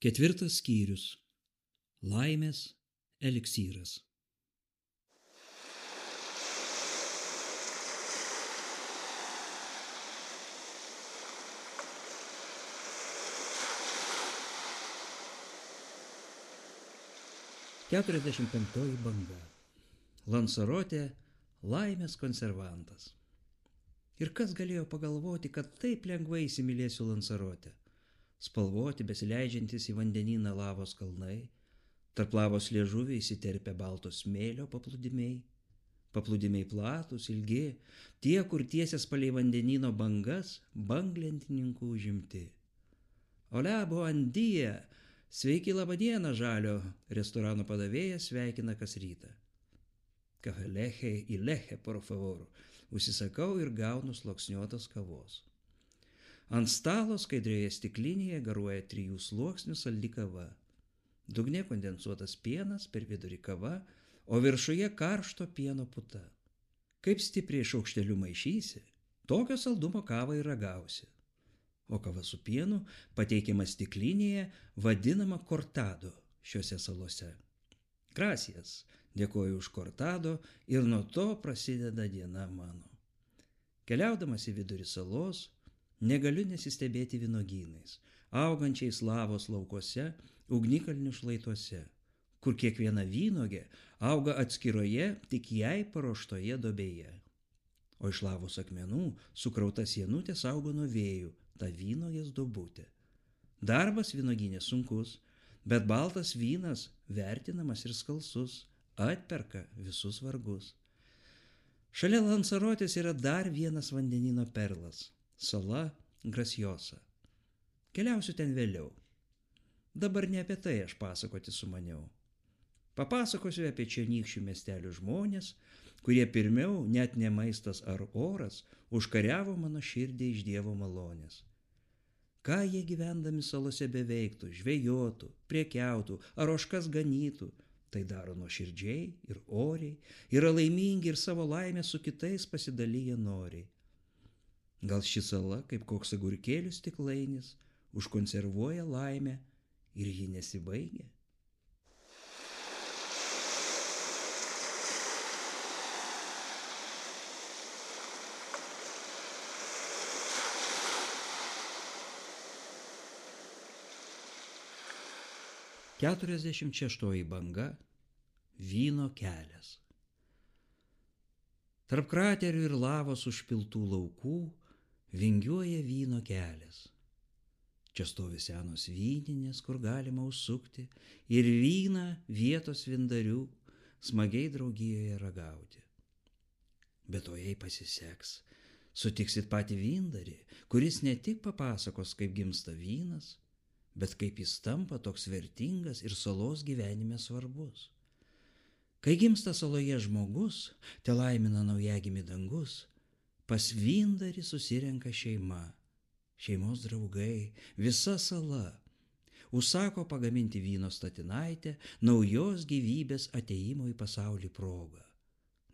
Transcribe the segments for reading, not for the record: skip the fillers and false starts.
Ketvirtas skyrius. Laimės eliksyras. Keturiasdešimt penktoji banga. Lansarotė laimės konservantas. Ir kas galėjo pagalvoti, kad taip lengvai įsimylėsiu Lansarotę? Spalvoti, besileidžiantis į vandenyną lavos kalnai, tarp lavos liežuviai įsiterpia baltos smėlio paplūdimiai. Paplūdimiai platus, ilgi, tie, kur tiesias palei vandenyno bangas, banglentininkų užimti. Ole buandie! Sveiki, labadiena, žalio, restorano padavėjas sveikina kas rytą. Kahaleche y leche, por favor, užsisakau ir gaunu sluoksniuotos kavos. Ant stalo skaidrioje stiklinėje garuoja 3 sluoksnių saldi kava. Dugne kondensuotas pienas, per vidurį kava, o viršuje karšto pieno puta. Kaip stipriai šaukšteliu maišysi, tokio saldumo kavą ir ragausi. O kava su pienu pateikiama stiklinėje, vadinama kortado šiuose salose. Gracias, dėkoju už kortado ir nuo to prasideda diena mano. Keliaudamas į vidurį salos, negaliu nesistebėti vynogynais, augančiais lavos laukuose, ugnikalnių šlaituose, kur kiekviena vynogė auga atskiroje, tik jai paruoštoje duobėje. O iš lavos akmenų sukrauta sienutė saugo nuo vėjų tą vynogės duobutę. Darbas vynogynė sunkus, bet baltas vynas vertinamas ir skalsus, atperka visus vargus. Šalia Lansarotės yra dar vienas vandenyno perlas – sala Graciosa. Keliausiu ten vėliau. Dabar ne apie tai aš pasakoti sumaniau. Papasakosiu apie čionykščių miestelių žmonės, kurie pirmiau, net ne maistas ar oras, užkariavo mano širdį iš Dievo malonės. Ką jie gyvendami salose beveiktų, žvejotų, priekiautų ar ožkas ganytų, tai daro nuoširdžiai ir oriai, yra laimingi ir savo laimę su kitais pasidalyja noriai. Gal ši sala, kaip koks agurkėlių stiklainis, užkonservuoja laimę ir ji nesibaigia? Keturiasdešimt šeštoji banga. Vyno kelias. Tarp kraterių ir lavos užpiltų laukų vingiuoja vyno kelias. Čia stovi senos vyninės, kur galima užsukti ir vyną vietos vindarių smagiai draugijoje ragauti. Bet to jei pasiseks, sutiksit patį vindarį, kuris ne tik papasakos, kaip gimsta vynas, bet kaip jis tampa toks vertingas ir salos gyvenime svarbus. Kai gimsta saloje žmogus, te laimina naujagimį dangus, pas vindarį susirenka šeima, šeimos draugai, visa sala. Užsako pagaminti vyno statinaitę naujos gyvybės atėjimo į pasaulį progą.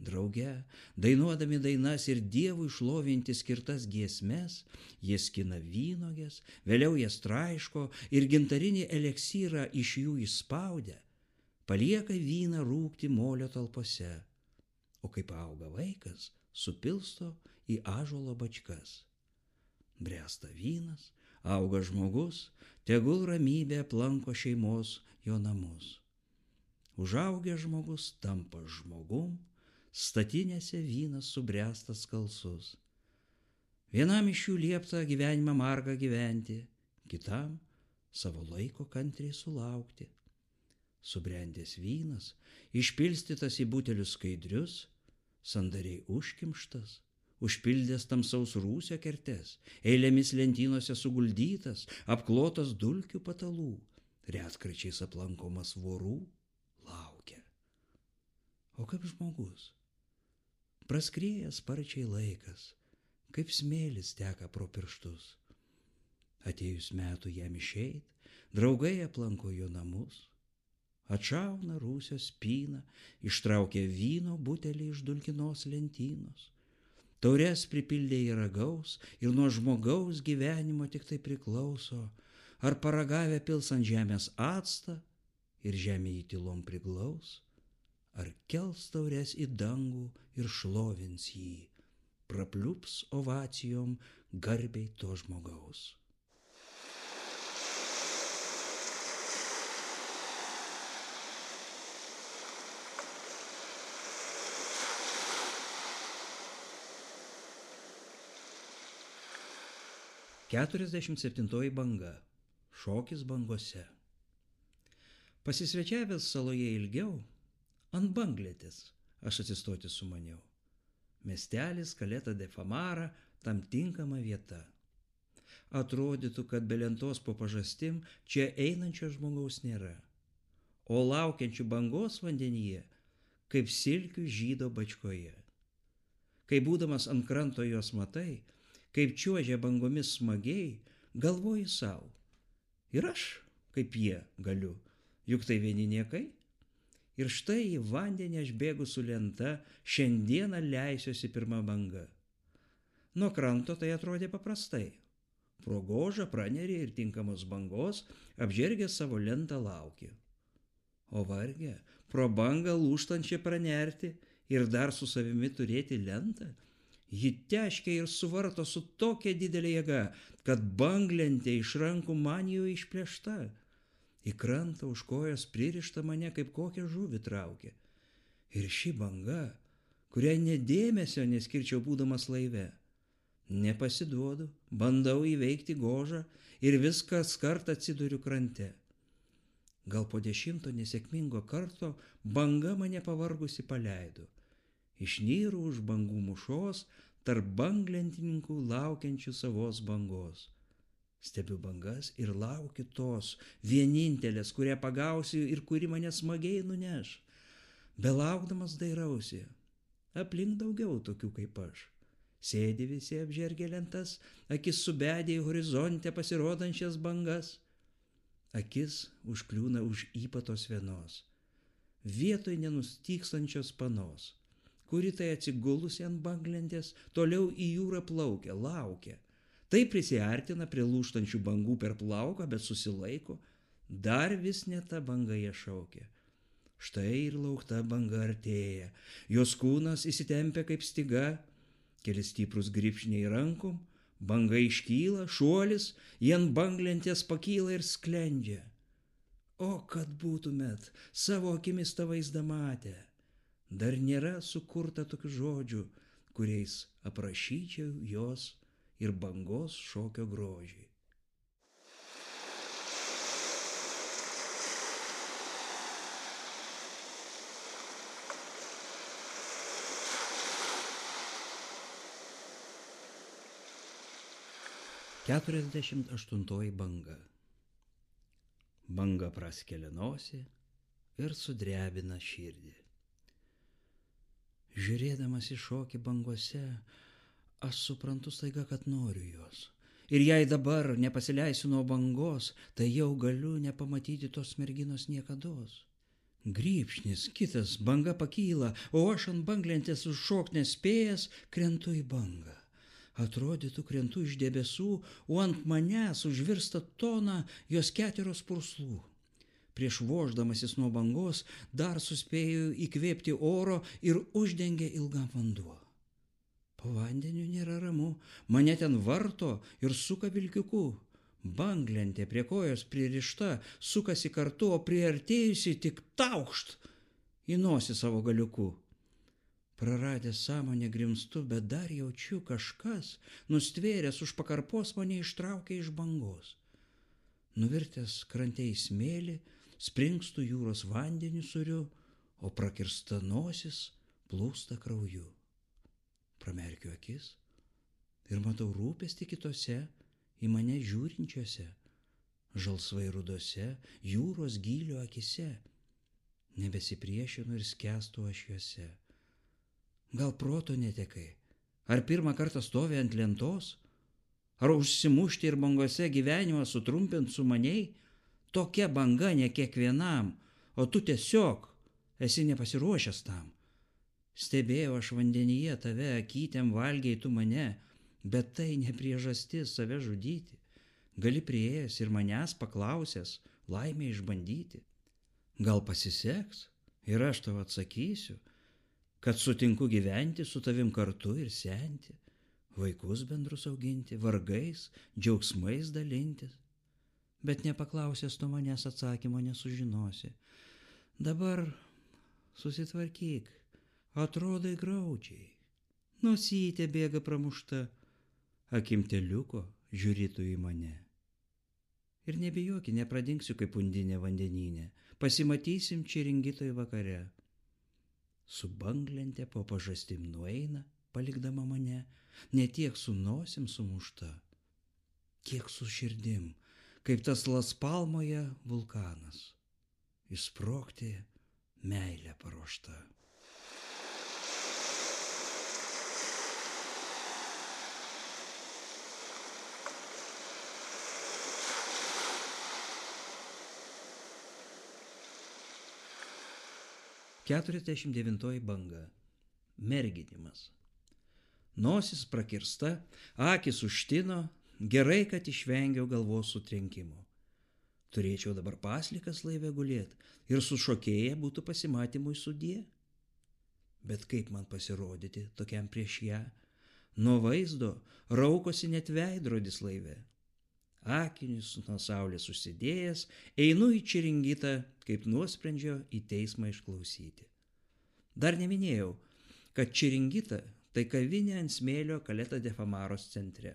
Drauge, dainuodami dainas ir Dievui šlovinti skirtas giesmes, jie skina vynuoges, vėliau jas traiško ir gintarinį eliksyrą iš jų išspaudę, palieka vyną rūgti molio talpose, o kaip auga vaikas, supilsto į ąžuolo bačkas. Bręsta vynas, auga žmogus, tegul ramybė aplanko šeimos jo namus. Užaugęs žmogus tampa žmogum, statinėse vynas subręstas skalsus. Vienam iš jų liepta gyvenimą margą gyventi, kitam savo laiko kantriai sulaukti. Subrendęs vynas, išpilstytas į butelius skaidrius, sandariai užkimštas, užpildęs tamsaus rūsio kertes, eilėmis lentynose suguldytas, apklotas dulkių patalų, retkarčiais aplankomas vorų, laukia. O kaip žmogus? Praskrieja sparčiai laikas, kaip smėlis teka pro pirštus. Atėjus metų jam išeit, draugai aplanko jo namus, atšauna rūsio spyną, ištraukia vyno butelį iš dulkinos lentynos. Taures pripildė į ragaus ir nuo žmogaus gyvenimo tik tai priklauso, ar paragavę pils ant žemės actą ir žemė jį tylom priglaus, ar kels taures į dangų ir šlovins jį, prapliups ovacijom garbiai to žmogaus. Keturiasdešimt septintoji banga. Šokis bangose. Pasisvečiavęs saloje ilgiau, ant banglėtės aš atsistoti sumaniau. Miestelis Caleta de Famara tam tinkama vieta. Atrodytų, kad be lentos po pažastim čia einančio žmogaus nėra, o laukiančių bangos vandenyje, kaip silkių žydo bačkoje. Kai būdamas ant kranto jos matai, kaip čiuožia bangomis smagiai, galvoji sau. Ir aš, kaip jie, galiu, juk tai vieni niekai. Ir štai į vandenį aš bėgu su lenta, šiandieną leisiuosi pirma banga. Nuo kranto tai atrodė paprastai. Pro gožą pranerį ir tinkamos bangos, apžergęs savo lentą lauki. O varge, pro bangą lūžtančią pranerti ir dar su savimi turėti lentą, ji teškia ir suvarto su tokia didelė jėga, kad banglentė iš rankų man jau išplėšta. Į krantą už kojos pririšta mane kaip kokią žuvį traukia. Ir ši banga, kuriai nedėmesio neskirčiau būdamas laive. Nepasiduodu, bandau įveikti gožą ir viskas kart atsiduriu krante. Gal po 10 nesėkmingo karto banga mane pavargusi paleido. Išnyru už bangų mušos, tarp banglentininkų laukiančių savos bangos. Stebiu bangas ir laukiu tos vienintelės, kurią pagausiu ir kuri mane smagiai nuneš. Belaukdamas dairausi, aplink daugiau tokių kaip aš. Sėdi visi apžergę lentas, akis subedė į horizonte pasirodančias bangas. Akis užkliūna už ypatos vienos, vietoj nenustykstančios panos, kuri tai atsigulusi ant banglentės, toliau į jūrą plaukia, laukia. Tai prisiartina prie lūžtančių bangų per plauką, bet susilaiko, dar vis ne ta banga jie šaukia. Štai ir laukta banga artėja, jos kūnas įsitempia kaip styga, keli stiprus grybšniai rankom, banga iškyla, šuolis, jie ant banglentės pakyla ir sklendžia. O kad būtumėt savo akimis tą vaizdą matę, dar nėra sukurta tokių žodžių, kuriais aprašyčiau jos ir bangos šokio grožį. Keturiasdešimt aštuntoji banga. Banga praskelia nosį ir sudrebina širdį. Žiūrėdamas į šokį bangose, aš suprantu staiga, kad noriu jos. Ir jei dabar nepasileisiu nuo bangos, tai jau galiu nepamatyti tos merginos niekados. Grybšnis, kitas, banga pakyla, o aš ant banglentės užšokt nespėjęs, krentu į bangą. Atrodytų, krentu iš debesų, o ant manęs užvirsta tona jos 4 purslų. Prieš voždamasis nuo bangos dar suspėjau įkvėpti oro ir uždengė ilgam vanduo. Po vandeniu nėra ramu, mane ten varto ir suka vilkiuku. Banglentė prie kojos pririšta, sukasi kartu, o priartėjusi tik taukšt į nosį savo galiuku. Praradęs sąmonę grimstu, bet dar jaučiu kažkas, nustvėręs už pakarpos mane ištraukė iš bangos. Nuvirtęs krante į smėlį, springstu jūros vandenį suriu, o prakirsta nosis plūsta krauju. Pramerkiu akis ir matau rūpestį kitose, į mane žiūrinčiose, žalsvai rudose, jūros gylio akise. Nebesipriešinu ir skęstu aš juose. Gal proto netekai? Ar pirmą kartą stovi ant lentos? Ar užsimušti ir bangose gyvenimą sutrumpint sumaniai? Tokia banga ne kiekvienam, o tu tiesiog esi nepasiruošęs tam. Stebėjau aš vandenyje tave, akytėm valgiai tu mane, bet tai ne priežastis save žudyti. Gali prieėjęs ir manęs paklausęs laimę išbandyti. Gal pasiseks ir aš tau atsakysiu, kad sutinku gyventi su tavim kartu ir senti, vaikus bendrus auginti, vargais, džiaugsmais dalintis. Bet nepaklausęs tu manęs atsakymo nesužinosi. Dabar susitvarkyk, atrodai graudžiai. Nosytė bėga pramušta, akimteliuko žiūritų į mane. Ir nebijoki, nepradingsiu kaip undinė vandeninė, pasimatysim Čiringitoj vakare. Su banglente po pažastim nueina, palikdama mane, ne tiek su nosim sumušta, kiek su širdim, kaip tas Laspalmoje vulkanas, išsprogti meilę paruošta. Keturiasdešimt devintoji banga. Merginimas. Nosis prakirsta, akis užtino, gerai, kad išvengiau galvos sutrenkimo. Turėčiau dabar paslikas laive gulėt ir su šokėja būtų pasimatymui sudie. Bet kaip man pasirodyti tokiam prieš ją? Nuo vaizdo raukosi net veidrodis laive. Akinius nuo saulės užsidėjęs, einu į Čiringitą, kaip nuosprendžio į teismą išklausyti. Dar neminėjau, kad Čiringita tai kavinė ant smėlio Caleta de Famaros centre,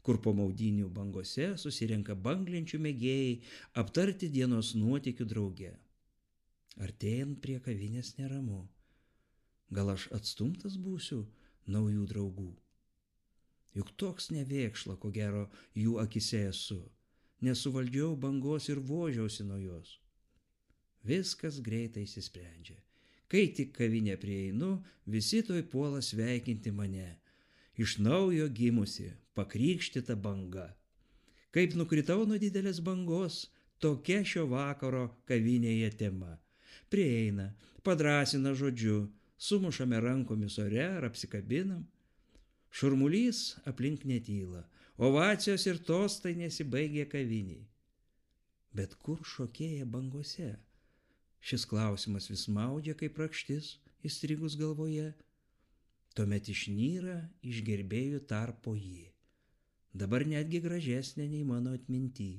kur po maudynių bangose susirenka banglenčių mėgėjai aptarti dienos nuotykių drauge. Artėjant prie kavinės neramu. Gal aš atstumtas būsiu naujų draugų? Juk toks nevėkšla, ko gero, jų akise esu. Nesuvaldžiau bangos ir vožiausi nuo jos. Viskas greitai išsisprendžia. Kai tik kavinę prieinu, visi toj puola sveikinti mane. Iš naujo gimusi, pakrikštyta banga. Kaip nukritau nuo didelės bangos, tokia šio vakaro kavinėje tema. Prieina, padrąsina žodžiu, sumušame rankomis ore ar apsikabinam. Šurmulys aplink netyla, ovacijos ir tostai nesibaigė kaviniai. Bet kur šokėja bangose? Šis klausimas vis maudžia kaip rakštis, įstrigus galvoje. Tuomet išnyra iš gerbėjų tarpo ji. Dabar netgi gražesnė nei mano atminty.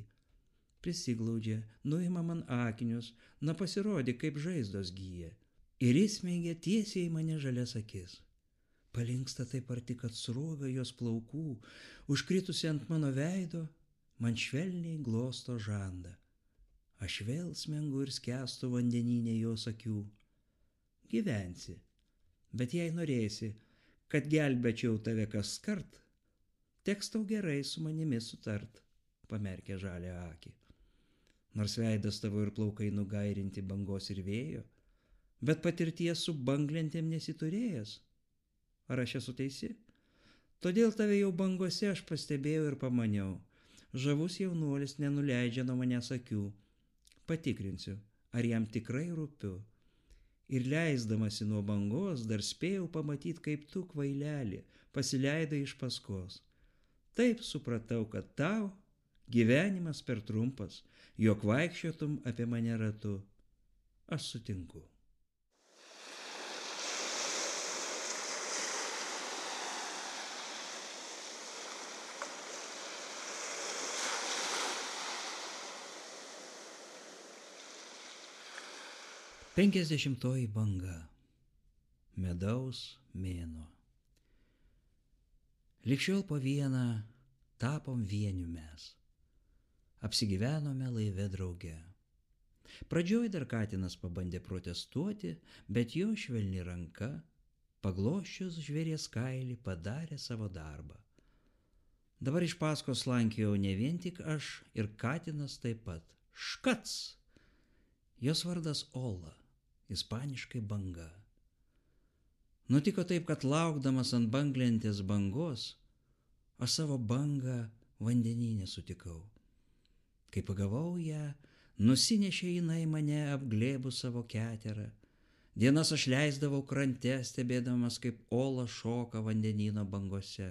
Prisiglaudžia, nuima man akinius, na pasirodė, kaip žaizdos gyja. Ir įsmeigia tiesiai į mane žalias akis. Palinksta taip arti, kad sruoga jos plaukų, užkritusi ant mano veido, man švelniai glosto žandą. Aš vėl smengu ir skęstu vandeninė jos akių. Gyvensi, bet jei norėsi, kad gelbėčiau tave kaskart, teks tau gerai su manimi sutart, pamerkė žalią akį. Nors veidas tavo ir plaukai nugairinti bangos ir vėjo, bet patirties su banglentėm nesiturėjęs. Ar aš esu teisi? Todėl tave jau bangose aš pastebėjau ir pamaniau. Žavus jaunuolis nenuleidžia nuo manęs akių. Patikrinsiu, ar jam tikrai rūpiu. Ir leisdamasi nuo bangos dar spėjau pamatyti, kaip tu, kvailelį, pasileidai iš paskos. Taip supratau, kad tau gyvenimas per trumpas, jog vaikščiotum apie mane ratu. Aš sutinku. Penkiasdešimtoji banga. Medaus mėnuo. Likščiol po vieną tapom vieniu mes. Apsigyvenome laive drauge. Pradžioj dar katinas pabandė protestuoti, bet jo švelni ranka, pagloščius žvėries kailį, padarė savo darbą. Dabar iš paskos slankėjau ne vien tik aš ir katinas taip pat. Škac! Jos vardas Ola. Ispaniškai banga. Nutiko taip, kad laukdamas ant banglentės bangos, aš savo bangą vandenyne sutikau. Kai pagavau ją, nusinešė jinai mane apglėbus savo keterą. Dienas aš leisdavau krante, stebėdamas, kaip Ola šoka vandenyno bangose.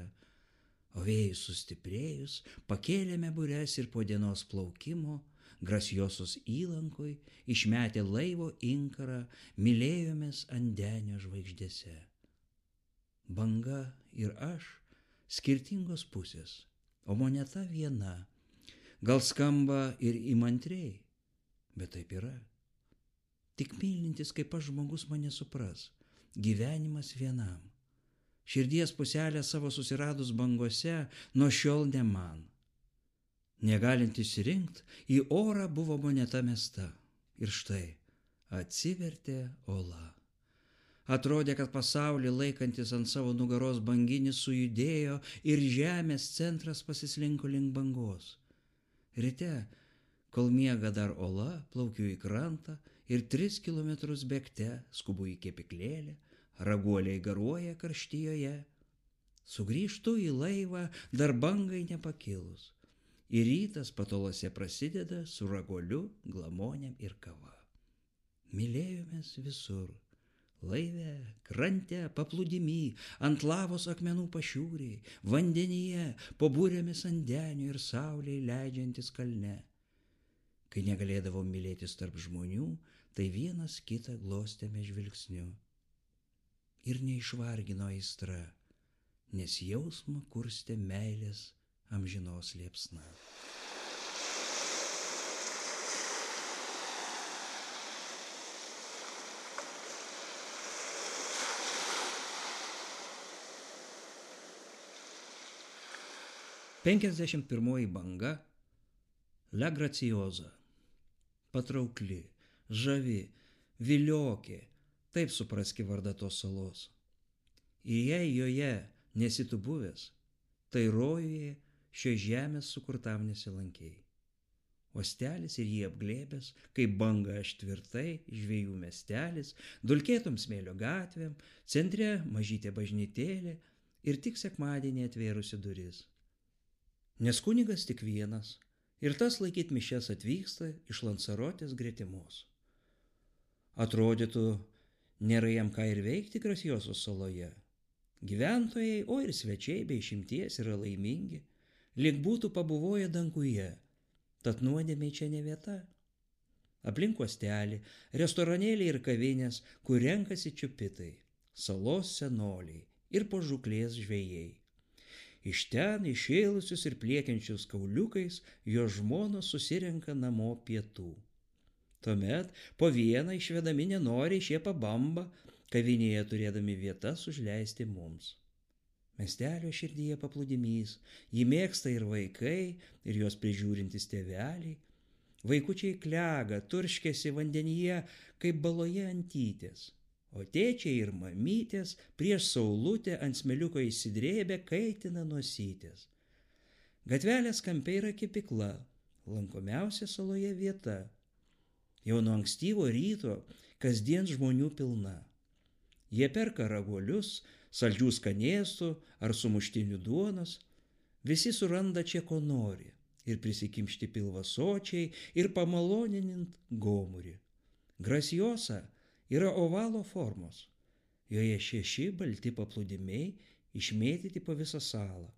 O vėjui sustiprėjus, pakėlėme bures ir po dienos plaukimo, Graciosos įlankoj, išmetę laivo inkarą, mylėjomės ant denio žvaigždėse. Banga ir aš skirtingos pusės, o moneta viena. Gal skamba ir įmantriai, bet taip yra. Tik mylintis kaip aš žmogus mane supras, gyvenimas vienam. Širdies puselę savo susiradus bangose, nuo šiol ne man. Negalint išsirinkt, į orą buvo moneta mesta. Ir štai, atsivertė ola. Atrodė, kad pasaulį laikantis ant savo nugaros banginis sujudėjo ir žemės centras pasislinko link bangos. Ryte, kol miega dar ola, plaukiu į krantą ir 3 kilometrus bėgte skubu į kepyklėlę, raguoliai garuoja karštijoje. Sugrįžtu į laivą, dar bangai nepakilus. Ir rytas patolose prasideda su raguoliu, glamonėm ir kava. Mylėjomės visur. Laive, krante, paplūdimy, ant lavos akmenų pašiūriai, vandenyje, po burėmis ant denio ir saulėj leidžiantis kalne. Kai negalėdavom mylėtis tarp žmonių, tai vienas kitą glostėme žvilgsniu. Ir neišvargino aistra, nes jausmą kurstė meilės amžinos liepsna. Penkiasdešimt pirmoji banga – La Graciosa. Patraukli, žavi, viliokė, taip supraski vardą tos salos. Ir jei joje nesi tu buvęs, tai rojuje šios žemės sukurtam nesilankei. Uostelis ir jį apglėbęs, kaip banga aš tvirtai, žvejų miestelis, dulkėtom smėlio gatvėm, centre mažytė bažnytėlė ir tik sekmadienį atvėrusi duris. Nes kunigas tik vienas, ir tas laikyt mišias atvyksta iš Lansarotės gretimos. Atrodytų, nėra jam ką ir veikti Graciosos saloje. Gyventojai, o ir svečiai bei išimties yra laimingi, lyg būtų pabuvoję danguje, tad nuodėmei čia ne vieta. Aplink uostelį, restoranėliai ir kavinės, kur renkasi čiupitai, salos senoliai ir po žūklės žvejai. Iš ten išėlusius ir pliekiančius kauliukais jo žmonos susirenka namo pietų. Tuomet po vieną išvedami nenoriai šie pabamba, kavinėje turėdami vietas užleisti mums. Miestelio širdyje paplūdimys, jį mėgsta ir vaikai, ir jos prižiūrintys tėveliai. Vaikučiai klega, turškėsi vandenyje, kaip baloje antytės, o tėčiai ir mamytės prieš saulutę ant smėliuko įsidrėbę kaitina nosytės. Gatvelės kampe yra kepykla, lankomiausia saloje vieta. Jau nuo ankstyvo ryto kasdien žmonių pilna. Jie perka raguolius, saldžių skanėstų ar sumuštinių duonos. Visi suranda čia ko nori ir prisikimšti pilvasočiai ir pamaloninint gomurį. Graciosa yra ovalo formos. Joje 6 balti paplūdimiai išmėtyti po visą salą.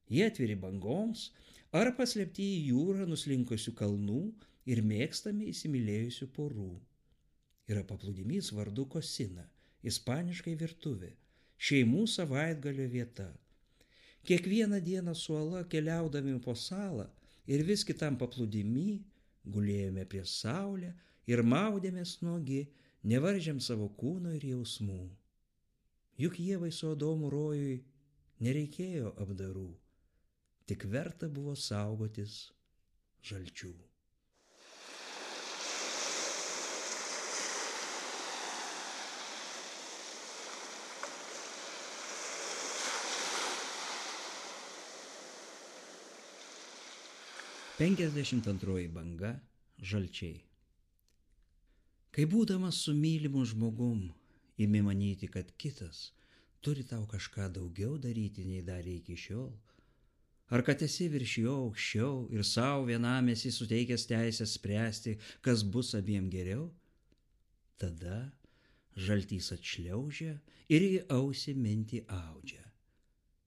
Jie atviri bangoms ar paslėpti į jūrą nuslinkusių kalnų ir mėgstami įsimylėjusių porų. Yra paplūdimys vardu Kosina, ispaniškai virtuvė, šeimų savaitgalio vieta. Kiekvieną dieną su uola keliaudami po salą ir vis kitam paplūdimy gulėjome prie saulę ir maudėmės nuogi, nevaržėm savo kūno ir jausmų. Juk Ievai su Adomu rojui nereikėjo apdarų, tik verta buvo saugotis žalčių. Penkiasdešimt antroji banga – žalčiai. Kai būdamas su mylimu žmogum, imi manyti, kad kitas turi tau kažką daugiau daryti, nei darė iki šiol, ar kad esi virš jo aukščiau ir savo vienam esi suteikęs teisę spręsti, kas bus abiem geriau, tada žaltys atšliaužia ir į ausį mintį audžia.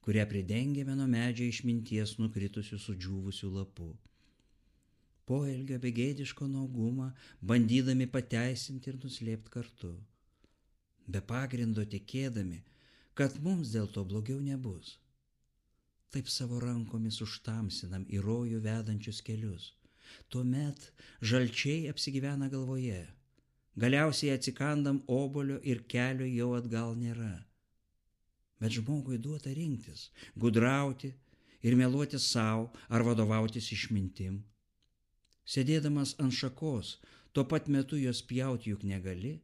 kurią pridengėme nuo medžio išminties nukritusių sudžiūvusių lapų. Poelgio begėdiško nuogumą bandydami pateisinti ir nuslėpti kartu. Be pagrindo tikėdami, kad mums dėl to blogiau nebus. Taip savo rankomis užtamsinam į rojų vedančius kelius. Tuomet žalčiai apsigyvena galvoje. Galiausiai atsikandam obuolio ir kelio jau atgal nėra. Bet žmogui duota rinktis, gudrauti ir meluoti savo ar vadovautis išmintim. Sėdėdamas ant šakos, tuo pat metu jos pjauti juk negali.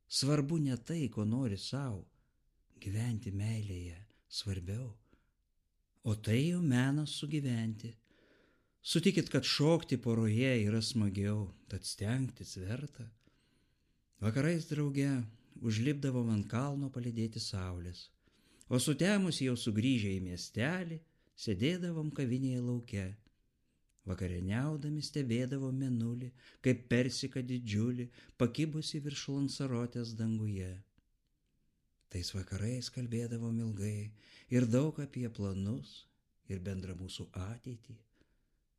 Svarbu ne tai, ko nori savo, gyventi meilėje svarbiau. O tai jau menas sugyventi. Sutikit, kad šokti poroje yra smagiau, tad stengtis verta. Vakarais drauge užlipdavom ant kalno palydėti saulės, o sutemus jau sugrįžę į miestelį, sėdėdavom kavinėje lauke. Vakarieniaudami stebėdavom mėnulį, kaip persiką didžiulį, pakibusi virš Lansarotės danguje. Tais vakarais kalbėdavom ilgai ir daug apie planus ir bendrą mūsų ateitį.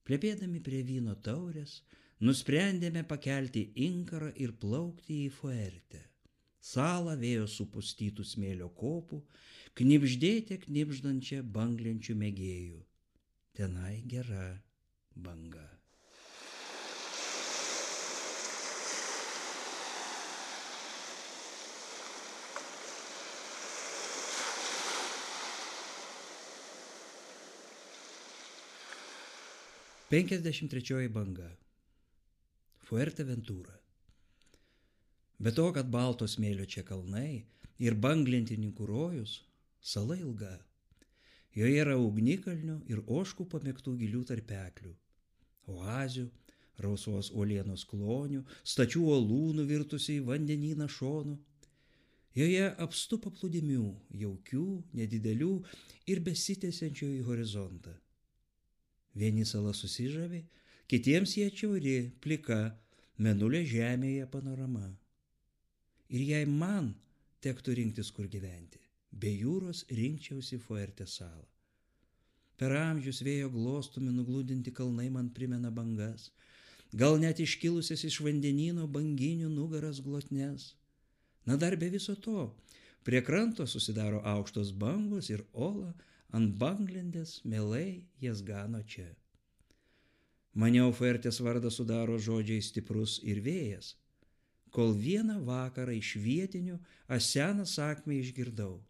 Plepėdami prie vyno taurės, nusprendėme pakelti inkarą ir plaukti į Fuertę. Salą vėjo supustytų smėlio kopų, knibždėte knibždančią banglenčių mėgėjų. Tenai gera banga. Penkiasdešimt trečioji banga. Fuerteventura. Be to, kad balto smėlio čia kalnai ir banglentininkų rojus, sala ilga. Joje yra ugnikalnių ir ožkų pamėgtų gilių tarpeklių, oazių, rausvos uolienos klonių, stačių uolų nuvirtusių į vandenyną šonų. Joje apstu paplūdimių, jaukių, nedidelių ir besitęsiančių į horizontą. Vieni sala susižavi, kitiems jie atšiauri, plika, mėnulio žemėje panorama. Ir jei man tektų rinktis, kur gyventi, be jūros rinkčiausi Fuertės salą. Per amžius vėjo glostomi nugludinti kalnai man primena bangas, gal net iškilusias iš vandenyno banginių nugaras glotnes. Na dar be viso to, prie kranto susidaro aukštos bangos ir ola ant banglendės mielai jas gano čia. Maniau, Fuertės vardą sudaro žodžiai stiprus ir vėjas, kol vieną vakarą iš vietinių aš seną sakmę išgirdau,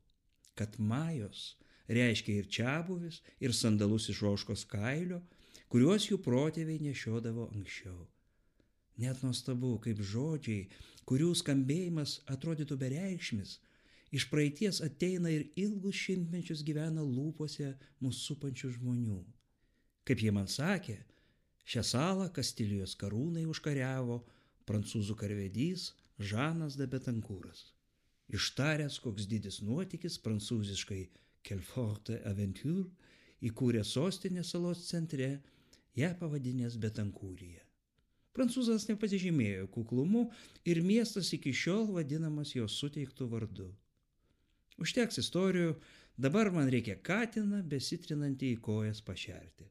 kad majos reiškia ir čiabuvis, ir sandalus iš ožkos kailio, kuriuos jų protėviai nešiodavo anksčiau. Net nuostabu, kaip žodžiai, kurių skambėjimas atrodytų bereikšmis, iš praeities ateina ir ilgus šimtmečius gyvena lūpose mūsų supančių žmonių. Kaip jie man sakė, šią salą Kastilijos karūnai užkariavo prancūzų karvedys Žanas de Betankūras. Ištaręs, koks didis nuotykis, prancūziškai Quelle forte aventure, įkūrė sostinę salos centre, ją pavadinęs Betankūrija. Prancūzas nepasižymėjo kuklumu ir miestas iki šiol vadinamas jo suteiktų vardu. Užteks istorijų, dabar man reikia katiną besitrinantį į kojas pašerti.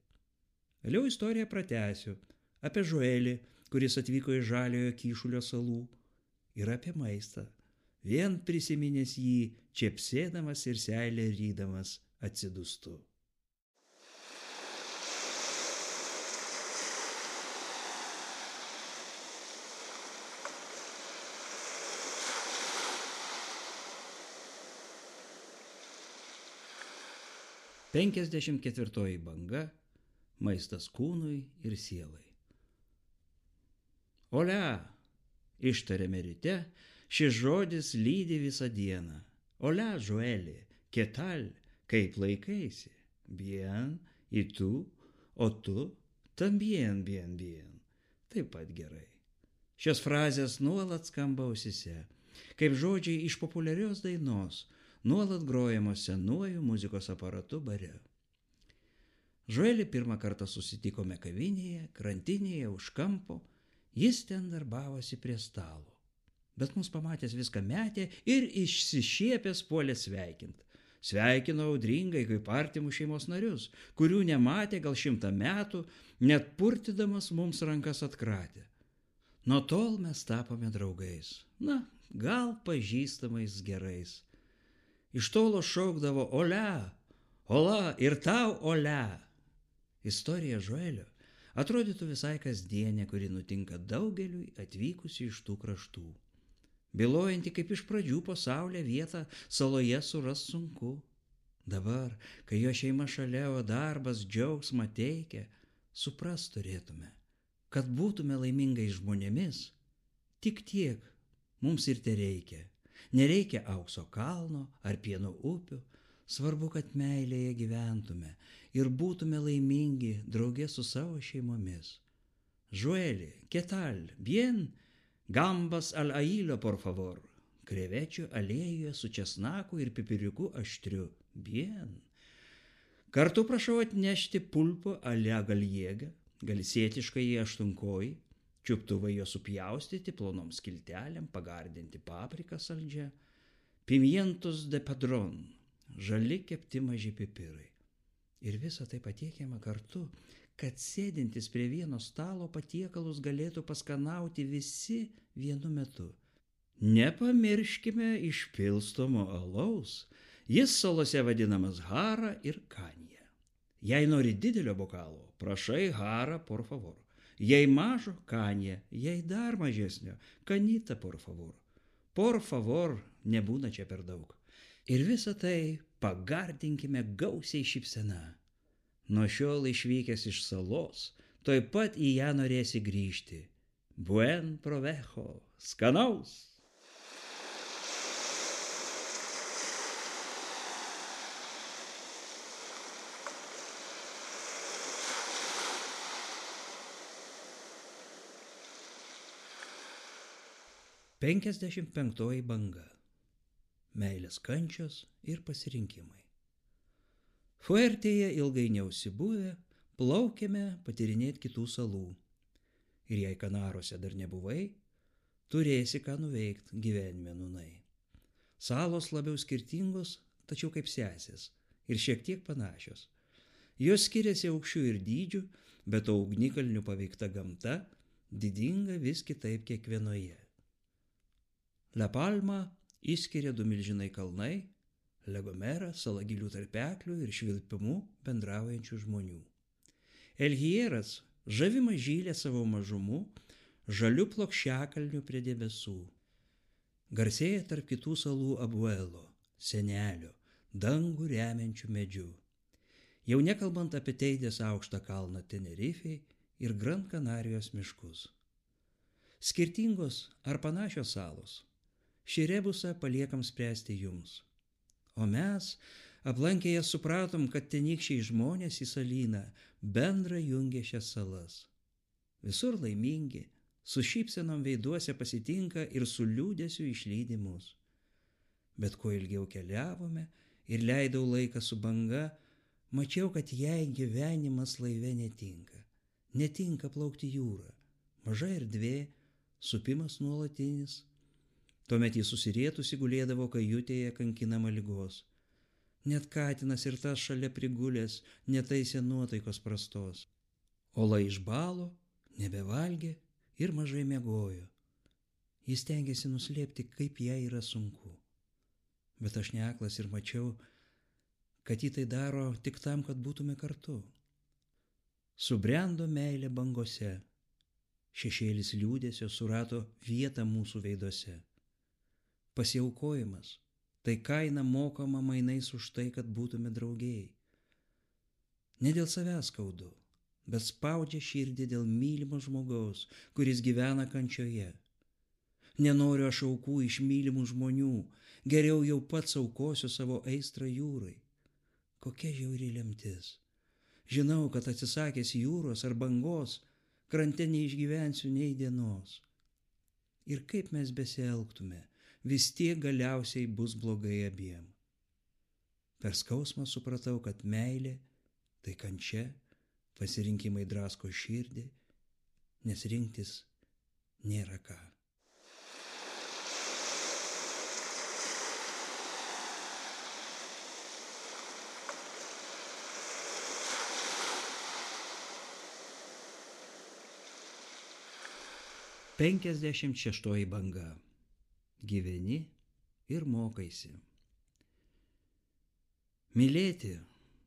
Vėliau istoriją pratęsiu apie Žuelį, kuris atvyko iš Žaliojo Kyšulio salų, ir apie maistą, vien prisiminęs jį, čepsėdamas ir seilę rydamas atsidūstu. Penkiasdešimt ketvirtoji banga. Maistas kūnui ir sielai. Olia, ištarėme ryte, šis žodis lydi visą dieną. Olia, Žueli, que tal, kaip laikaisi? Bien, y tu, o tu, tambien, bien, bien. Taip pat gerai. Šios frazės nuolat skamba ausyse, kaip žodžiai iš populiarios dainos, nuolat grojamos senuoju muzikos aparatu bare. Žuelį pirmą kartą susitikome kavinėje, krantinėje, už kampo, jis ten darbavosi prie stalo. Bet mus pamatęs viską metė ir išsišiepęs puolė sveikint. Sveikino audringai kaip artimus šeimos narius, kurių nematė gal 100 metų, net purtydamas mums rankas atkratė. Nuo tol mes tapome draugais, gal pažįstamais gerais. Iš tolo šaukdavo olia, ola ir tau olia. Istorija Žuelio atrodytų visai kasdienė, kuri nutinka daugeliui atvykusių iš tų kraštų. Bylojanti, kaip iš pradžių po saulę vietą saloje suras sunku. Dabar, kai jo šeima šalia, o darbas džiaugsmą teikia, suprast turėtume, kad būtume laimingais žmonėmis, tik tiek mums ir tereikia. Nereikia aukso kalno ar pieno upių, svarbu, kad meilėje gyventume ir būtume laimingi drauge su savo šeimomis. Žueli, ¿qué tal? Bien? Gambas al ailo, por favor. Krevečių aliejuje su česnaku ir pipiriuku aštriu. Bien. Kartu prašau atnešti pulpo alia galjiega, galsėtiškai į 8-kojį, čiuptuvai jo supjaustyti plonom skiltelėm, pagardinti papriką saldžią, pimientos de padron, žali kepti maži pipirai. Ir visa tai patiekiama kartu, kad sėdintis prie vieno stalo patiekalus galėtų paskanauti visi vienu metu. Nepamirškime išpilstomo alaus, jis salose vadinamas hara ir kanija. Jei nori didelio bokalo, prašai hara, por favor. Jei mažo, kanija, jei dar mažesnio, kanita, por favor. Por favor, nebūna čia per daug. Ir visą tai pagardinkime gausiai šypsena. Nuo šiol išvykęs iš salos, tuoj pat į ją norėsi grįžti. Buen provecho, skanaus! Penkiasdešimt penktoji banga. Meilės kančios ir pasirinkimai. Fuertėje ilgai neužsibuvę, plaukėme patyrinėti kitų salų. Ir jei Kanarose dar nebuvai, turėsi ką nuveikti gyvenime nūnai. Salos labiau skirtingos, tačiau kaip sesės ir šiek tiek panašios. Jos skiriasi aukščių ir dydžių, bet ugnikalnių paveikta gamta didinga vis kitaip kiekvienoje. La Palma išskiria 2 milžinai kalnai, La Gomera salagilių tarpeklių ir švilpimu bendraujančių žmonių. El Hierras žavi mažylė savo mažumu, žaliu plokščiakalniu prie debesų. Garsėja tarp kitų salų Abuelo, senelio, dangų remiančių medžių. Jau nekalbant apie Teidės aukštą kalną Tenerifei ir Gran Kanarijos miškus. Skirtingos ar panašios salos. Šį rebusą paliekam spręsti jums. O mes, aplankę jas, supratom, kad tenykščiai žmonės į salyną bendra jungia šias salas. Visur laimingi, su šypsenom veiduose pasitinka ir su liūdesiu išlydi mus. Bet kuo ilgiau keliavome ir leidau laiką su banga, mačiau, kad jai gyvenimas laive netinka. Netinka plaukti jūrą, maža erdvė, supimas nuolatinis. Tuomet jis susirietusi gulėdavo kajutėje kankinama ligos. Net katinas ir tas šalia prigulęs netaisė nuotaikos prastos. Ola išbalo, nebevalgė ir mažai miegojo. Jis stengiasi nuslėpti, kaip jai yra sunku. Bet aš neaklas ir mačiau, kad jį tai daro tik tam, kad būtume kartu. Subrendo meilė bangose. Šešėlis liūdesio surado vietą mūsų veiduose. Pasiaukojimas, tai kaina mokama mainais už tai, kad būtume draugiai. Ne dėl savęs skaudu, bet spaudžia širdį dėl mylimo žmogaus, kuris gyvena kančioje. Nenoriu aš aukų iš mylimų žmonių, geriau jau pats aukosiu savo aistrą jūrai. Kokia žiauri lemtis. Žinau, kad atsisakęs jūros ar bangos, krante neišgyvensiu nei dienos. Ir kaip mes besielgtume, vis tiek galiausiai bus blogai abiem. Per skausmą supratau, kad meilė tai kančia, pasirinkimai drasko širdį, nes rinktis nėra ką. 56 banga. Gyveni ir mokaisi. Mylėti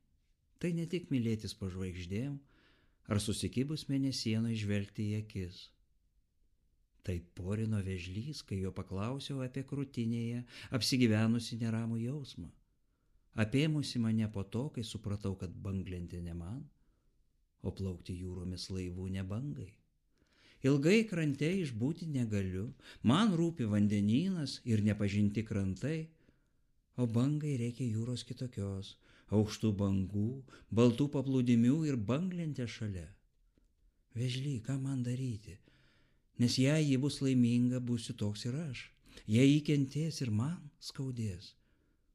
– tai ne tik mylėtis po žvaigždėm ar susikibus mėnesieną žvelgti į akis. Tai porino vėžlys, kai jo paklausiau apie krūtinėje apsigyvenusi neramų jausmą. Apėmusi mane po to, kai supratau, kad banglentė ne man, o plaukti jūromis laivų ne bangai. Ilgai krante išbūti negaliu, man rūpi vandenynas ir nepažinti krantai, o bangai reikia jūros kitokios, aukštų bangų, baltų paplūdimių ir banglentė šalia. Vėžly, ką man daryti? Nes jei ji bus laiminga, būsiu toks ir aš. Jei ji kentės ir man skaudės,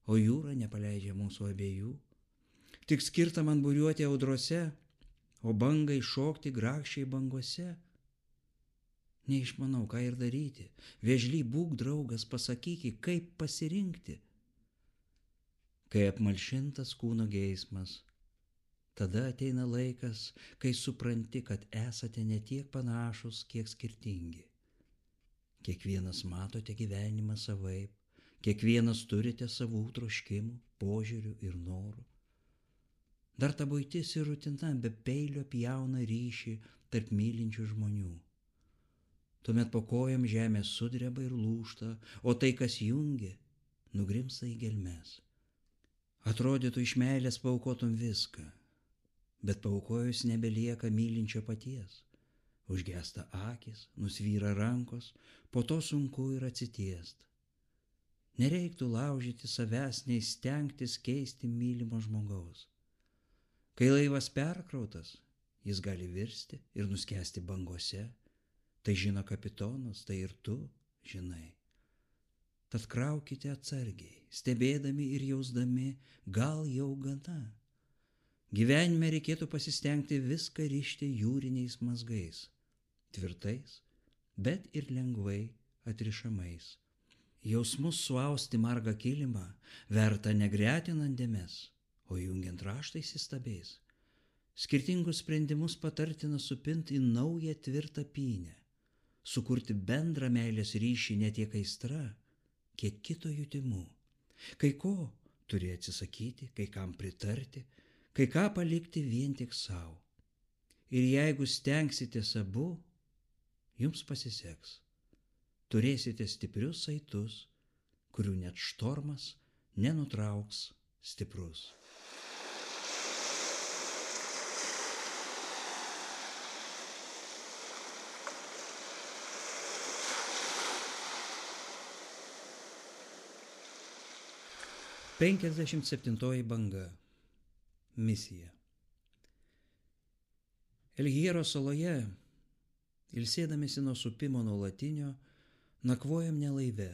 o jūra nepaleidžia mūsų abiejų. Tik skirta man buriuoti audrose, o bangai šokti grakščiai bangose. Neišmanau, ką ir daryti. Vėžly, būk draugas, pasakyki, kaip pasirinkti. Kai apmalšintas kūno geismas, tada ateina laikas, kai supranti, kad esate ne tiek panašus, kiek skirtingi. Kiekvienas matote gyvenimą savaip, kiekvienas turite savų troškimų, požiūrių ir norų. Dar ta buitis ir rutina be peilio pjauna ryšį tarp mylinčių žmonių. Tuomet po kojom žemė sudreba ir lūžta, o tai, kas jungia, nugrimsta į gelmes. Atrodytų, iš meilės paaukotum viską, bet paaukojus nebelieka mylinčio paties. Užgesta akis, nusvyra rankos, po to sunku ir atsitiest. Nereiktų laužyti savęs, nei stengtis keisti mylimo žmogaus. Kai laivas perkrautas, jis gali virsti ir nuskesti bangose. Tai žino kapitonas, tai ir tu žinai. Tad kraukite atsargiai, stebėdami ir jausdami, gal jau gana. Gyvenime reikėtų pasistengti viską rišti jūriniais mazgais, tvirtais, bet ir lengvai atrišamais. Jausmus suausti margą kilimą verta negretinant dėmes, o jungiant raštais įstabiais. Skirtingus sprendimus patartina supinti į naują tvirtą pynę, sukurti bendrą meilės ryšį ne tiek aistra, kiek kito jutimu. Kai ko turi atsisakyti, kai kam pritarti, kai ką palikti vien tik savo. Ir jeigu stengsitės abu, jums pasiseks. Turėsite stiprius saitus, kurių net štormas nenutrauks stiprus. Penkiasdešimt septintoji banga. Misija. Elhyero saloje, ilsėdamėsi nuo supimo nuolatinio, nakvojam ne laive,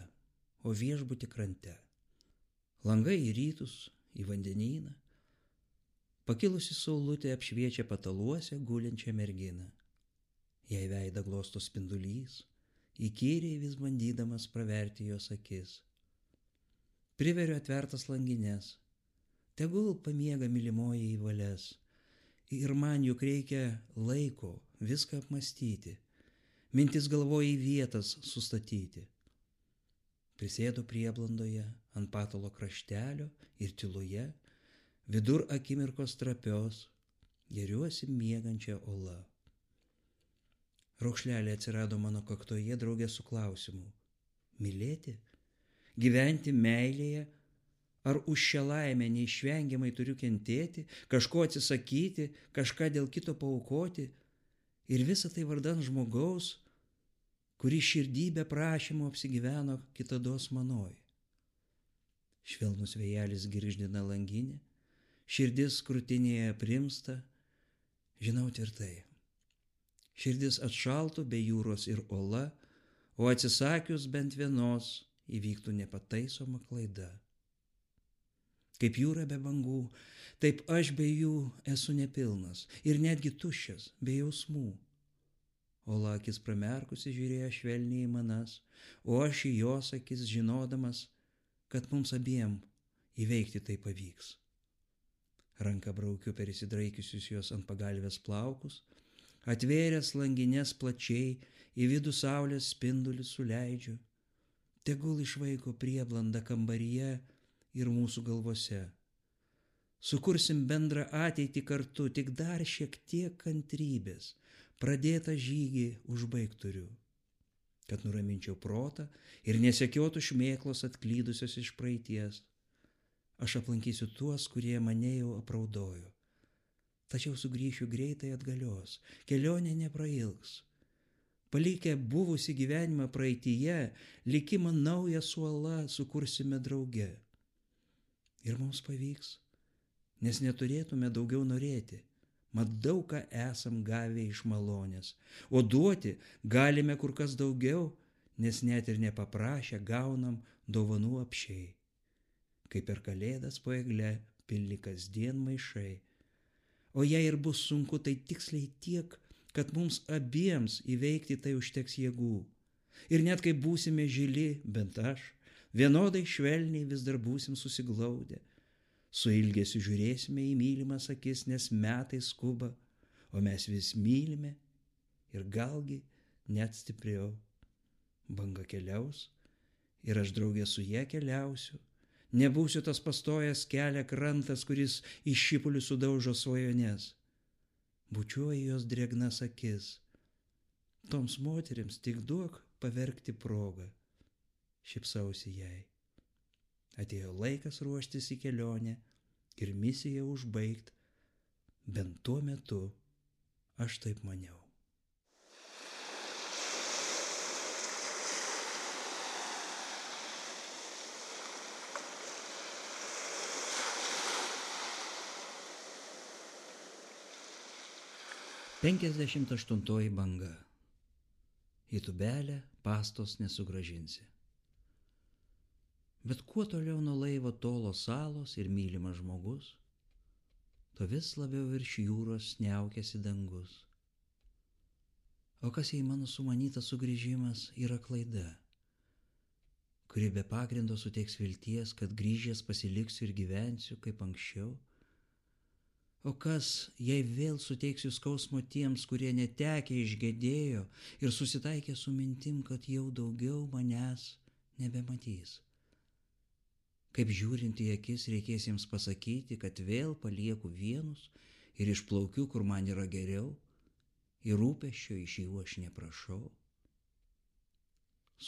o viešbuty krante. Langai į rytus, į vandenyną. Pakilusi saulutė apšviečia pataluose gulinčią merginą. Jai veidą glosto spindulys, įkyriai vis bandydamas praverti jos akis. Priveriu atvertas langines, tegul pamiega mylimoji į valias. Ir man juk reikia laiko viską apmastyti, mintis galvoje į vietas sustatyti. Prisėdu prieblandoje ant patalo kraštelio ir tyloje, vidur akimirkos trapios, geriuosi miegančią olą. Raukšlelė atsirado mano kaktoje draugė su klausimu: mylėti? Gyventi meilėje? Ar už šią laimę neišvengiamai turiu kentėti, kažko atsisakyti, kažką dėl kito paaukoti? Ir visa tai vardan žmogaus, kuri širdį be prašymo apsigyveno kitados manoj. Švelnus vėjelis girgždina langinę, širdis krūtinėje aprimsta, žinau tvirtai. Širdis atšaltų be jūros ir ola, o atsisakius bent vienos įvyktų nepataisoma klaida. Kaip jūra be bangų, taip aš be jų esu nepilnas ir netgi tuščias, be jausmų. Ola akis pramerkusi žiūrėjo švelniai į manas, o aš į jos akis žinodamas, kad mums abiem įveikti tai pavyks. Ranka braukiu per įsidraikiusius jos ant pagalvės plaukus, Atvėręs langinės plačiai, į vidų saulės spindulius suleidžiu. Tegul išvaiko prieblanda kambaryje ir mūsų galvose. Sukursim bendrą ateitį kartu, tik dar šiek tiek kantrybės, pradėtą žygį užbaigt turiu. Kad nuraminčiau protą ir nesekiotų šmėklos atklydusios iš praeities. Aš aplankysiu tuos, kurie mane jau apraudojo. Tačiau sugrįšiu greitai atgalios, kelionė neprailgs. Palikę buvusi gyvenimą praeityje, likimą naują suolą sukursime drauge. Ir mums pavyks, nes neturėtume daugiau norėti, mat daug ką esam gavę iš malonės, o duoti galime kur kas daugiau, nes net ir nepaprašę gaunam dovanų apsčiai. Kaip per kalėdas po egle pilni kasdien maišai. O jei ir bus sunku, tai tiksliai tiek, kad mums abiems įveikti tai užteks jėgų. Ir net kai būsime žili, bent aš, vienodai švelniai vis dar būsim susiglaudę. Su ilgesiu žiūrėsime į mylimas akis, nes metai skuba, o mes vis mylime ir galgi net stipriau. Banga keliaus ir aš draugė su ja keliausiu. Nebūsiu tas pastojęs kelią krantas, kuris iš šipulių sudaužo svajonės. Bučiuoju jos drėgnas akis. Toms moterims tik duok paverkti progą. Šypsausi jai. Atėjo laikas ruoštis į kelionę ir misiją užbaigt. Bent tuo metu aš taip maniau. Penkiasdešimt aštuntoji banga. Į tubelę pastos nesugrąžinsi. Bet kuo toliau nuo laivo tolo salos ir mylimas žmogus, to vis labiau virš jūros sniaukiasi dangus. O kas jei mano sumanytas sugrįžimas yra klaida, kuri be pagrindo suteiks vilties, kad grįžęs pasiliksiu ir gyvensiu kaip anksčiau? O kas, jei vėl suteiksiu skausmo tiems, kurie netekę išgedėjo ir susitaikė su mintim, kad jau daugiau manęs nebematys? Kaip žiūrint į akis reikės jiems pasakyti, kad vėl palieku vienus ir išplaukiu, kur man yra geriau, ir rūpesčio iš jų aš neprašau.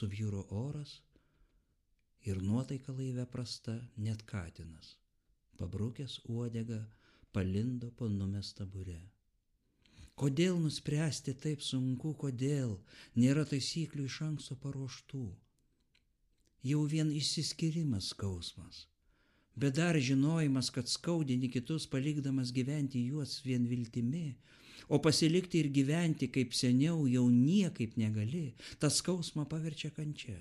Subjūro oras ir nuotaika laive prasta, net katinas, pabrukęs uodegą, palindo po numestą burę. Kodėl nuspręsti taip sunku, kodėl nėra taisyklių iš anksto paruoštų? Jau vien išsiskyrimas skausmas, bet dar žinojimas, kad skaudini kitus palikdamas gyventi juos vien viltimi, o pasilikti ir gyventi kaip seniau jau niekaip negali, tą skausmą paverčia kančia.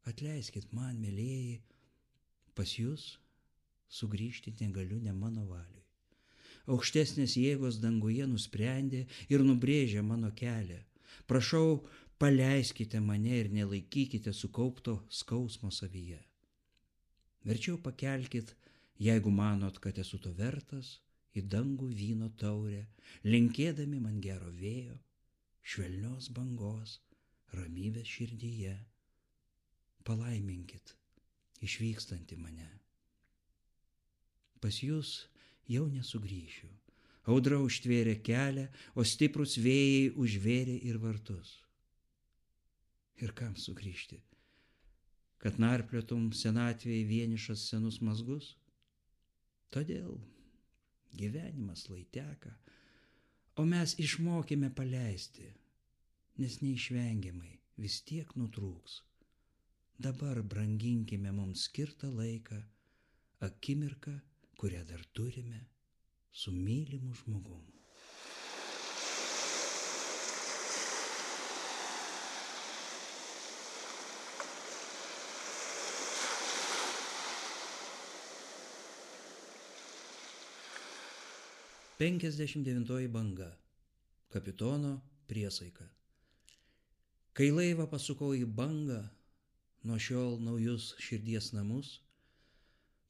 Atleiskit man, mielieji, pas jūs sugrįžti negaliu ne mano valiui. Aukštesnės jėgos danguje nusprendė ir nubrėžė mano kelią. Prašau, paleiskite mane ir nelaikykite sukaupto skausmo savyje. Verčiau pakelkit, jeigu manot, kad esu to vertas, į dangų vyno taurę, linkėdami man gero vėjo, švelnios bangos, ramybės širdyje. Palaiminkit išvykstantį mane. Pas jūs jau nesugrįšiu. Audra užtvėrė kelią, o stiprus vėjai užvėrė ir vartus. Ir kam sugrįžti? Kad narpliotum senatvėje vienišas senus mazgus? Todėl gyvenimas lai teka, o mes išmokėme paleisti, nes neišvengiamai vis tiek nutrūks. Dabar branginkime mums skirtą laiką, akimirką, kurią dar turime su mylimu žmogum. Penkiasdešimt devintoji banga. Kapitono priesaika. Kai laivą pasukau į bangą, nuo šiol naujus širdies namus,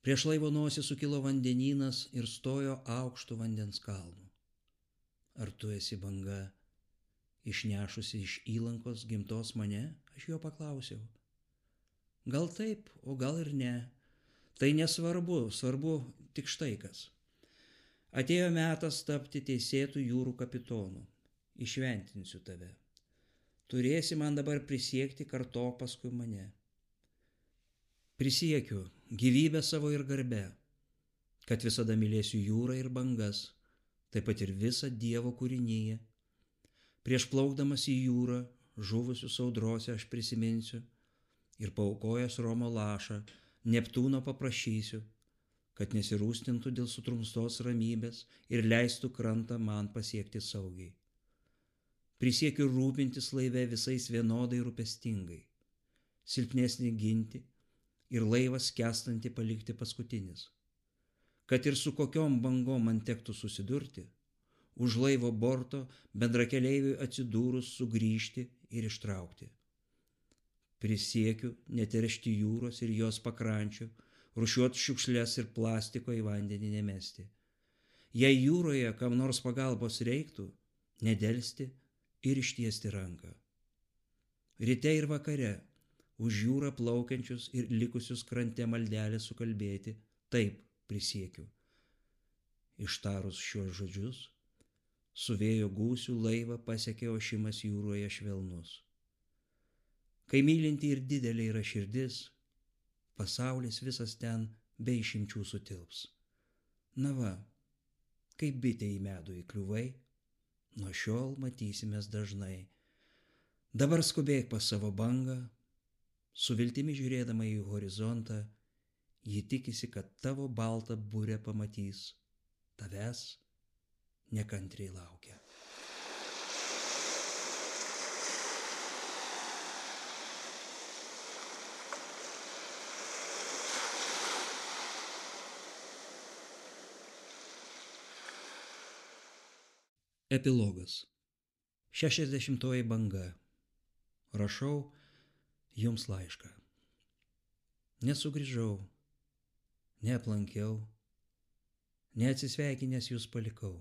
prieš laivo nosį sukilo vandenynas ir stojo aukštų vandens kalnų. Ar tu esi banga, išnešusi iš įlankos gimtos mane, aš jo paklausiau. Gal taip, o gal ir ne. Tai nesvarbu, svarbu tik štai kas. Atėjo metas tapti teisėtų jūrų kapitonu. Išventinsiu tave. Turėsi man dabar prisiekti kartok paskui mane. Prisiekiu gyvybę savo ir garbę, kad visada mylėsiu jūrą ir bangas, taip pat ir visą Dievo kūrinyje. Prieš plaukdamas į jūrą, žuvusius audrose aš prisiminsiu ir paaukojęs Romo lašą, Neptūno paprašysiu, kad nesirūstintų dėl sutrumstos ramybės ir leistų krantą man pasiekti saugiai. Prisiekiu rūpintis laive visais vienodai rūpestingai, silpnesnį ginti ir laivą skęstantį palikti paskutinis. Kad ir su kokiom bangom man tektų susidurti, už laivo borto bendrakeleiviui atsidūrus sugrįžti ir ištraukti. Prisiekiu neteršti jūros ir jos pakrančių, rūšiuot šiukšles ir plastiko į vandenį nemesti. Jei jūroje kam nors pagalbos reiktų, nedelsti ir ištiesti ranką. Ryte ir vakare už jūrą plaukiančius ir likusius krante maldelę sukalbėti, taip prisiekiu. Ištarus šiuos žodžius, su vėjo gūsių laivą pasiekė ošimas jūroje švelnus. Kai mylinti ir didelė yra širdis, pasaulis visas ten be išimčių sutilps. Na va, kaip bitė į medų įkliuvai, nuo šiol matysimės dažnai. Dabar skubėk pas savo bangą, su viltimi žiūrėdama į horizontą, ji tikisi, kad tavo baltą burę pamatys, tavęs nekantriai laukia. Epilogas. 60 banga. Rašau jums laišką. Nesugrįžau, neaplankiau, neatsisveikinęs jūs palikau.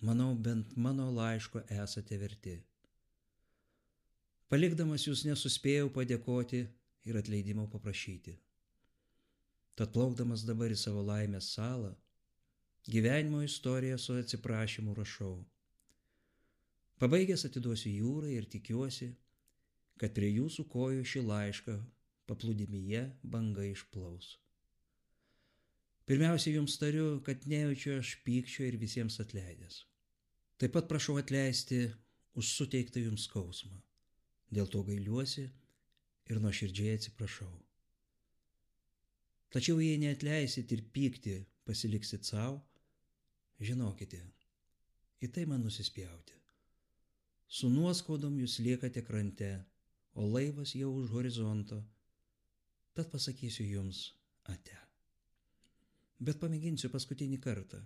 Manau, bent mano laiško esate verti. Palikdamas jūs nesuspėjau padėkoti ir atleidimo paprašyti. Tad plaukdamas dabar į savo laimės salą, gyvenimo istoriją su atsiprašymu rašau. Pabaigęs atiduosiu jūrai ir tikiuosi, kad prie jūsų kojų šį laišką paplūdimyje banga išplaus. Pirmiausia, jums tariu, kad nejaučiu aš pykčio ir visiems atleidęs. Taip pat prašau atleisti už suteiktą jums skausmą. Dėl to gailiuosi ir nuoširdžiai atsiprašau. Tačiau jei neatleisit ir pyktį pasiliksit savo, žinokite, į tai man nusispjauti. Su nuoskaudom jūs liekate krante, o laivas jau už horizonto, tad pasakysiu jums ate. Bet pamėginsiu paskutinį kartą.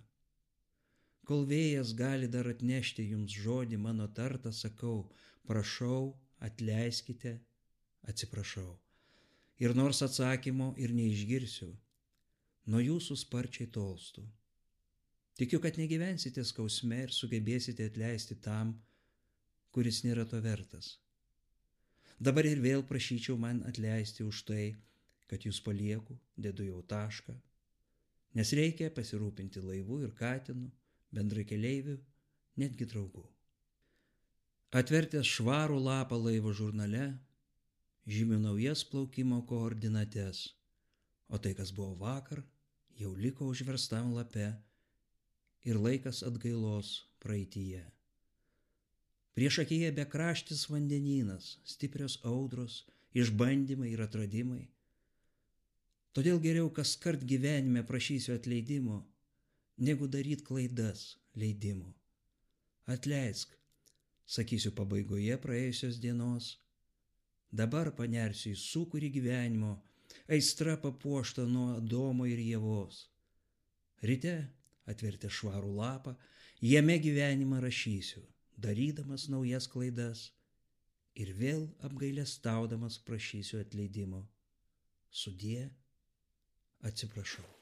Kol vėjas gali dar atnešti jums žodį mano tartą, sakau, prašau, atleiskite, atsiprašau. Ir nors atsakymo ir neišgirsiu, nuo jūsų sparčiai tolstu. Tikiu, kad negyvensite skausme ir sugebėsite atleisti tam, kuris nėra to vertas. Dabar ir vėl prašyčiau man atleisti už tai, kad jūs palieku, dedu jau tašką, nes reikia pasirūpinti laivu ir katinu, bendrakeleiviu, netgi draugu. Atvertęs švarų lapą laivo žurnale, žymiu naujas plaukimo koordinates, o tai, kas buvo vakar, jau liko užverstam lape ir laikas atgailos praeityje. Prieš akyje bekraštis vandenynas, stiprios audros, išbandymai ir atradimai. Todėl geriau kaskart gyvenime prašysiu atleidimo, negu daryt klaidas leidimo. Atleisk, sakysiu pabaigoje praėjusios dienos. Dabar panersiu į sūkurį gyvenimo, aistra papuošta nuo Adomo ir Ievos. Ryte, atvertę švarų lapą, jame gyvenimą rašysiu, darydamas naujas klaidas ir vėl apgailestaudamas prašysiu atleidimo. Sudie, atsiprašau.